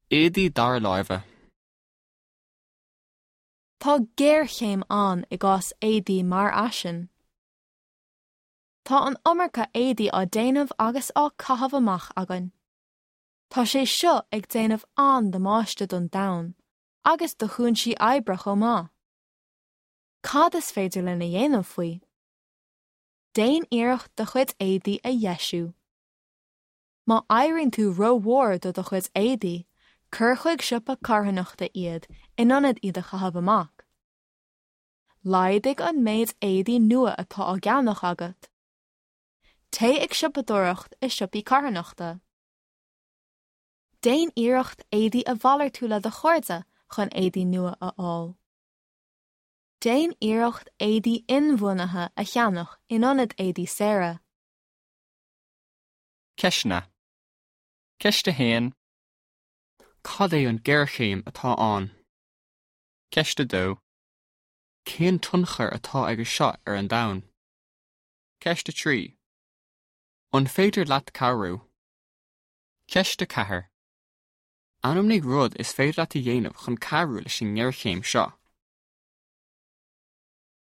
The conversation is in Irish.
Éadaí dara láimhe. Tá géarchéim ann i gcás éadaí mar fhaisean. Tá an iomarca éadaí á déanamh agus á caitheamh amach againn. Tá sé seo ag déanamh an-damáiste don domhan agus do chúinsí oibre chomh maith. Cad is féidir linn a dhéanamh faoi? Déan iarracht do chuid éadaí a dheisiú. Má éiríonn tú rómhór do do chuid éadaí, cuir chuig siopa carthanachta iad in ionad iad a chaitheamh amach. Laghdaigh an méid éadaí nua atá á gceannach agat. Téigh ag siopadóireacht i siopaí carthanachta. Déan iarracht éadaí a mhalartú le do chairde chun éadaí nua a fháil. Déan iarracht éadaí inbhuanaithe a cheannach in ionad éadaí saora. Ceisteanna. Ceist 1. Cad é an ghéarchéim atá ann? Ceist 2. Cén tionchar atá aige seo ar an domhan? Ceist 3. An féidir leat cabhrú? Ceist 4. Ainmnigh rud is féidir leat a dhéanamh chun cabhrú leis an ngéarchéim seo.